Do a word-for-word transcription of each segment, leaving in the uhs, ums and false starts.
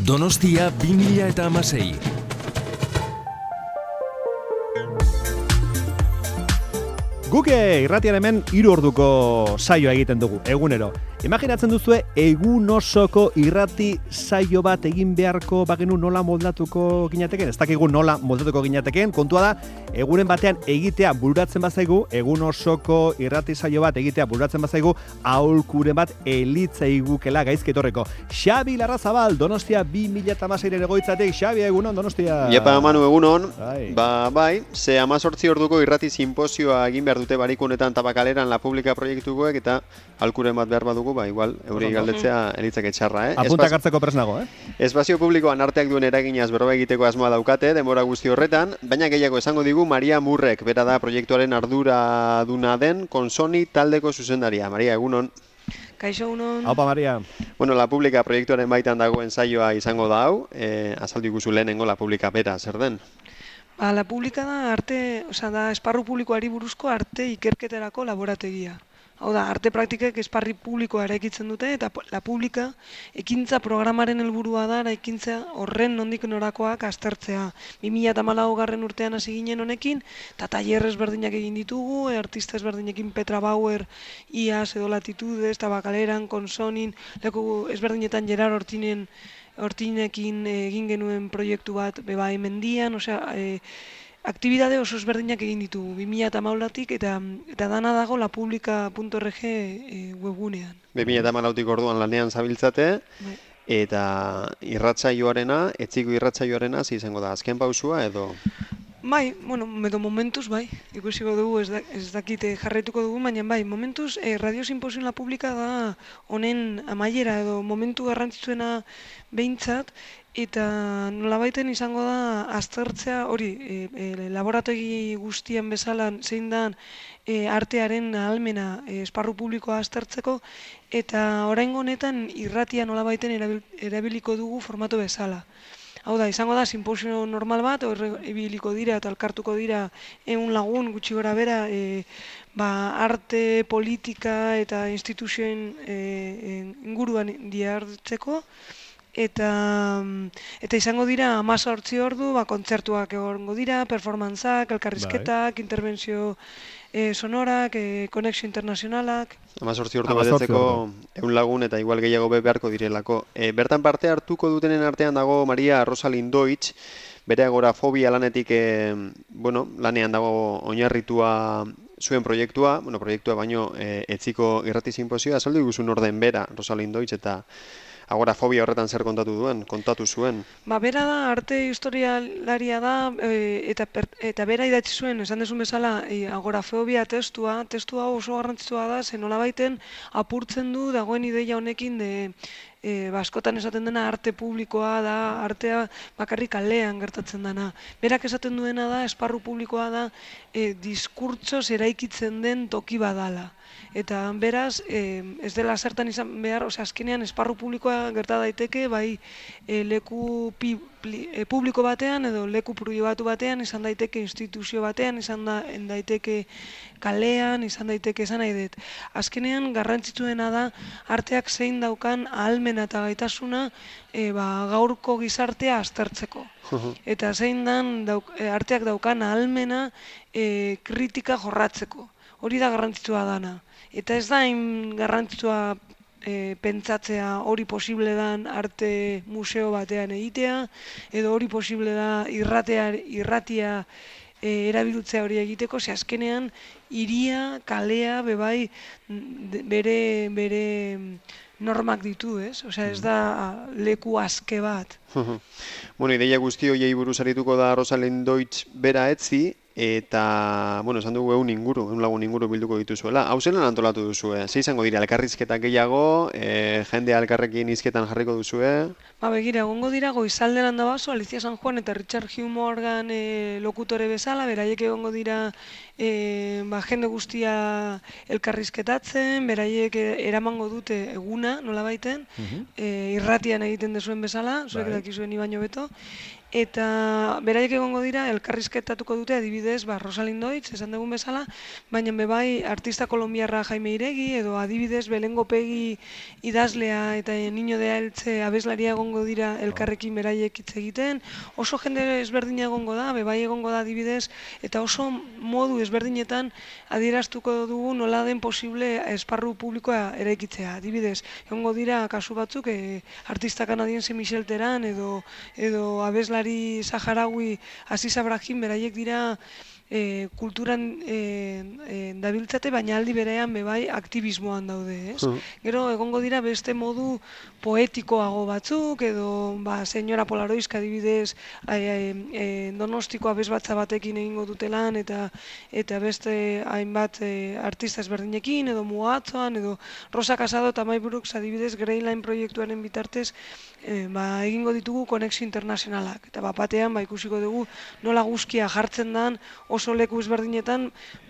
Donostia bi mila hamasei. Guke irratian hemen hiru orduko saioa egiten dugu, egunero. Imaginatzen duzue egun osoko irrati saio bat egin beharko bagenu nola moldatuko ginateken? Ez dakigu nola moldatuko ginateken, kontua da, egunen batean egitea bururatzen bazaigu, egun osoko irrati saio bat egitea bururatzen bazaigu, aholkuren bat elitzaigukela gaizki etorreko. Xabi Larrazabal, Donostia bi mila hamaseiren egoitzatik. Xabi, egunon, Donostia. Iepa, Manu, egunon. Bai. Ba, bai, ze hemezortzi orduko irrati sinposioa egin behar dute barikunetan Tabakaleran La Publica proiektukoek eta aholkuren bat behar badugu, ba, igual, euri galdetzea elitzake txarra, eh? Apuntak hartzeko presnago, eh? Espazio publikoan arteak duen eraginaz berba egiteko asmoa daukate, denbora guzti horretan, baina gehiago esango digu Maria Murrek, bera da proiektuaren arduraduna den Konsoni taldeko zuzendaria. Maria, egunon. Kaixo, egunon. Haupa, Maria. Bueno, La Publica proiektuaren baitan dagoen saioa izango da hau, eh, azaldu iguzu lehenengo La Publica bera, zer den? Ba, La Publica da arte, osea, da esparru publikoari buruzko arte ikerketarako laborategia. Hau da, arte praktikek esparri publikoa eraikitzen dute eta La Publica ekintza programaren helburua da eraikintza horren nondik norakoak aztertzea. bi mila hamalaugarren urtean hasi ginen honekin, eta tailer ezberdinak egin ditugu, artista ezberdinekin Petra Bauer, Iaz, edo Latitudes, Tabakaleran, Konsonin, leku ezberdinetan Gerard Hortinen Hortinekin egin genuen proiektu bat beba hemendian, osea, e, aktibidade oso ezberdinak egin ditugu, bi mila hamaikatik eta eta dana dago lapublica punto org e, webgunean. bi mila hamalautik orduan lanean zabiltzate, Bai. eta irratsaioarena, etziko irratsaioarena, ze izango da, azken pausua edo? Bai, bueno, edo momentuz, bai, ikusiko dugu, ez, da, ez dakite jarraituko dugu, baina bai, momentuz, eh, Radio Simposion La Publica da honen amaiera edo momentu garrantzitsuena behintzat, eta nolabaiten izango da aztertzea hori, e, e, laborategi guztien bezala zein dan e, artearen ahalmena e, esparru publikoa aztertzeko, eta oraingo honetan irratia nolabaiten erabil, erabiliko dugu formato bezala. Hau da, izango da, simposio normal bat, horre ibiliko dira eta elkartuko dira ehun lagun gutxi gora bera, e, ba, arte, politika eta instituzioen e, inguruan dihartzeko, eta eta izango dira hamazortzi ordu, ba, kontzertuak egongo dira, performantzak, elkarrizketak, interbentzio e, sonorak, e, konexio internazionalak. Hamazortzi ordu betetzeko ehun lagun eta igual gehiago be beharko direlako. E, bertan parte hartuko dutenen artean dago Maria Rosalind Deutsch, bere agorafobia lanetik e, bueno, lanean dago oinarritua zuen proiektua, bueno, proiektua baino e, etziko irrati sinposioa, azaldu iguzun orden bera Rosalind Deutsch eta agorafobia horretan zer kontatu duen, kontatu zuen. Ba, bera da, arte historialaria da, e, eta, per, eta bera idatzi zuen, esan desun bezala, e, agorafobia testua, testua oso garrantzitsua da, zen nolabaiten apurtzen du dagoen ideia honekin de, e, ba, askotan esaten dena arte publikoa da, artea bakarrik kalean gertatzen dena. Berak esaten duena da, esparru publikoa da, e, diskurtsoz eraikitzen den toki badala. Eta beraz, e, ez dela zertan izan behar, ose, azkenean esparru publikoa gerta daiteke, bai e, leku pi, pli, e, publiko batean edo leku pribatu batean, izan daiteke instituzio batean, izan da, daiteke kalean, izan daiteke esan nahi dut. Azkenean garrantzitsuena da arteak zein daukan ahalmena eta gaitasuna e, ba, gaurko gizartea aztertzeko. Eta zein dan dauk, e, arteak daukan ahalmena e, kritika jorratzeko. Hori da garrantzitsua dana. Eta ez da hain garrantzitsua e, pentsatzea hori posible dan arte museo batean egitea, edo hori posible da irratea, irratia e, erabiltzea hori egiteko, ze azkenean hiria, kalea, bebai bere, bere normak ditu, ez? Osea, ez da leku aske bat. Bueno, ideia guzti horiei buruz arituko da Rosalind Deutsch bera etzi, eta, bueno, esan dugu egun inguru, egun lagun inguru bilduko dituzuela. Hau zelan antolatu duzue? Ze izango dira, elkarrizketak gehiago, e, jendea elkarrekin hizketan jarriko duzue? Ba, begira, egongo dira goizalderan da baso, Alicia San Juan eta Richard Hugh Morgan e, lokutore bezala, beraiek egongo dira e, ba, jende guztia elkarrizketatzen, beraiek eramango dute eguna, nola baiten, uh -huh. e, irratian egiten dezuen bezala, zuek dakizuen ibaino beto, eta beraiek egongo dira elkarrizketatuko dute adibidez, ba, Rosalind Deutsch, esan dugun bezala, baina bebai artista kolombiarra Jaime Iregi, edo adibidez Belengo Pegi idazlea eta Niño de Eltze abeslaria egongo dira elkarrekin beraiek hitz egiten, oso jende ezberdina egongo da, bebai egongo da adibidez, eta oso modu ezberdinetan adieraztuko dugu nola den posible esparru publikoa eraikitzea. Adibidez, egongo dira kasu batzuk e, artista kanadiense Michel Teran edo, edo abeslari saharaui Aziz Abrahim beraiek dira E, kulturan e, e, dabiltzate, baina aldi berean bebai aktivismoan daude, ez? Uh. Gero egongo dira beste modu poetikoago batzuk, edo ba, senyora Polaroizka adibidez e, e, Donostiko abesbatza batekin egingo dutelan, eta eta beste hainbat e, artista ezberdinekin, edo Mugatzoan, edo Rosa Casado eta May Brooks adibidez Greyline proiektuaren bitartez e, ba, egingo ditugu konexio internazionalak. Eta bapatean ba, ikusiko dugu nola guzkia jartzen dan oso leku ezberdinetan,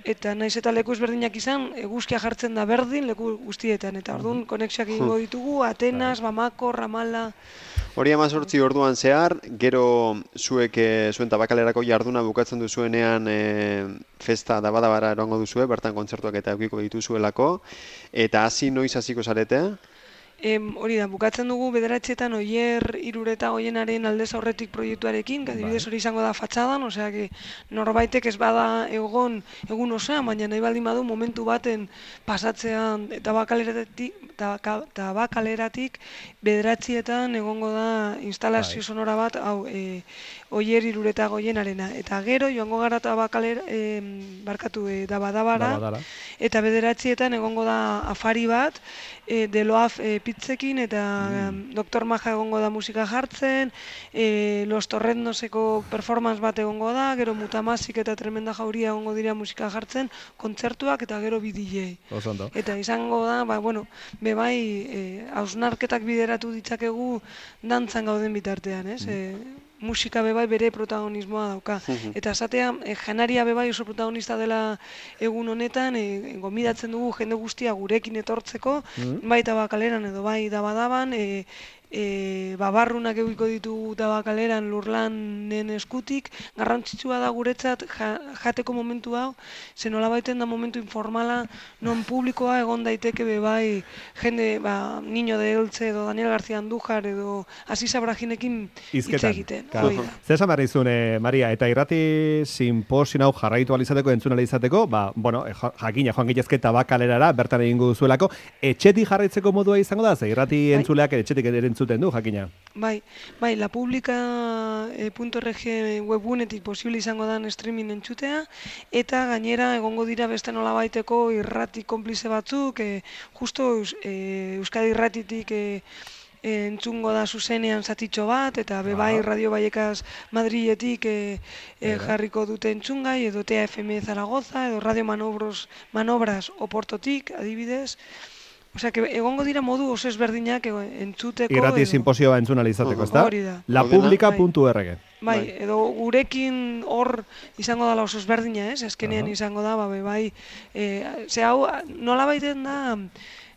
eta naiz eta leku ezberdinak izan, eguzkia jartzen da berdin leku guztietan, eta orduan konexioak egingo ditugu, Atenas, Bamako, Ramala. Hori hemezortzi orduan zehar, gero zuek e, zuen tabakalerako jarduna bukatzen duzuenean e, festa dabadabara erongo duzue, bertan kontzertuak eta eukiko dituzuelako, eta hasi noiz hasiko zarete? Em, hori da, bukatzen dugu bederatzeetan Oier Irureta Goienaren aldez aurretik proiektuarekin, adibidez hori izango da fatxadan, osea, que norbaitek ez bada egon egun osoan, baina nahi baldin badu momentu baten pasatzean tabakaleratik, tabakaleratik bederatzietan egongo da instalazio sonora bat, hau, e, Oier Irureta Goienarena. Eta gero, joango gara tabakalera, e, barkatu, e, dabadabara, Dabadara. Eta bederatzietan egongo da afari bat, e, Deloaf e, pitzekin, eta mm. Doktor Maja egongo da musika jartzen, e, Los Torrendoseko performance bat egongo da, gero Mutamasik eta Tremenda Jauria egongo dira musika jartzen, kontzertuak eta gero bi D J. Eta izango da, ba, bueno, bebai, e, hausnarketak bideratu ditzakegu dantzan gauden bitartean, ez? Mm. E, musika bebai bere protagonismoa dauka. Eta esatea, e, janaria bebai oso protagonista dela egun honetan, e, gomidatzen dugu jende guztia gurekin etortzeko, mm. bai tabakaleran edo bai dabadaban, e, e, babarrunak egiko ditugu tabakaleran Lurlanen eskutik, garrantzitsua da guretzat ja, jateko momentu hau, ze nola baiten da momentu informala, non publikoa egon daiteke bebai jende, ba, Niño de Eltze edo Daniel García Andújar edo Aziz Abrahinekin hitz egiten. Zer esan behar izun, eh, Maria, eta irrati simposin hau jarraitu alizateko, entzun alizateko, ba, bueno, jakina joan gitezke tabakalerara, bertan egingo duzuelako, etxetik jarraitzeko modua izango da, ze irrati bai. Entzuleak etxetik entzuten du, jakina. Bai, bai, lapublica punto r g webunetik posible izango dan streaming entzutea, eta gainera egongo dira beste nola baiteko irrati konplize batzuk, e, justo e, Euskadi irratitik e, entzungo da zuzenean zatitxo bat, eta bebai Radio Vallecas Madriletik e, e, jarriko dute entzungai, edo T A F M Zaragoza, edo Radio Manobros, Manobras Oportotik, adibidez. Osea, que egongo dira modu oso ezberdinak entzuteko. Irrati edo... simposioa entzun alizateko, ezta? Hori da. lapublica punto r g. Bai, edo gurekin hor izango dala oso ezberdina, ez? Azkenean uh -huh. izango da, ba, bai, e, ze hau, nola baiten da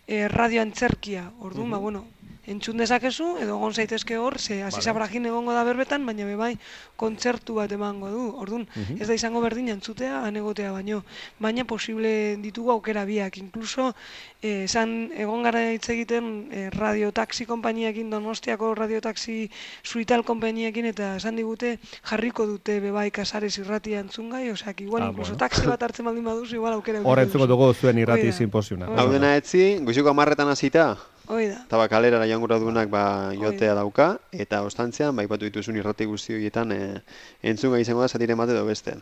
e, radio antzerkia, orduan, uh -huh. ba, bueno, entzun dezakezu, edo egon zaitezke hor, ze Aziz vale. Abrahim egongo da berbetan, baina bebai kontzertu bat emango du. Orduan, uh-huh. ez da izango berdina entzutea, anegotea baino. Baina posible ditugu aukera biak. Inkluso, esan eh, egon gara hitz egiten eh, radiotaxi konpainiakin, Donostiako radiotaxi suital konpainiakin, eta esan digute jarriko dute bebai Casares irratia entzungai, osea, igual, ah, inkluso bueno. taxi bat hartzen baldin baduz, igual aukera. Hor entzuko dugu zuen irrati simposiona. Hau dena etzi, goizeko hamarretan hasita. Oida. Tabakalera jangura duenak ba, jotea dauka, eta ostantzean, ba, ipatu dituzun irrati guzti horietan e, entzunga izango da zatiren bat edo beste.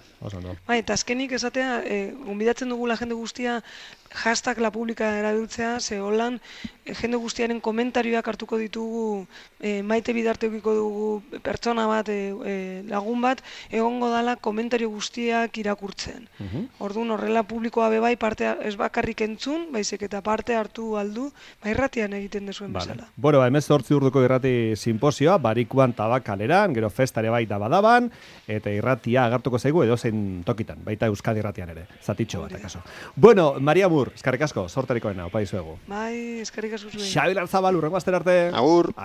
Bai, eta azkenik esatea, e, gonbidatzen dugula jende guztia hashtag la publica erabiltzea, ze holan e, jende guztiaren komentarioak hartuko ditugu, e, maite bidarteukiko dugu pertsona bat, e, e, lagun bat, egongo dala komentario guztiak irakurtzen. Uh-huh. Orduan horrela publikoa bebai parte ez bakarrik entzun, baizik eta parte hartu aldu, ba irratian egiten dezuen vale. bezala. Bueno, hemezortzi urduko irrati simposioa, Barikuan Tabakaleran, gero festare bai dabadaban, eta irratia agartuko zaigu edozein tokitan, baita Euskadi irratian ere, zatitxo bat, akaso. Bueno, Maria Mur, eskerrik asko, sorterikoena, opa dizuegu. Bai, eskerrik asko zuen. Xabi Larzabal, urrengo aster arte. Agur.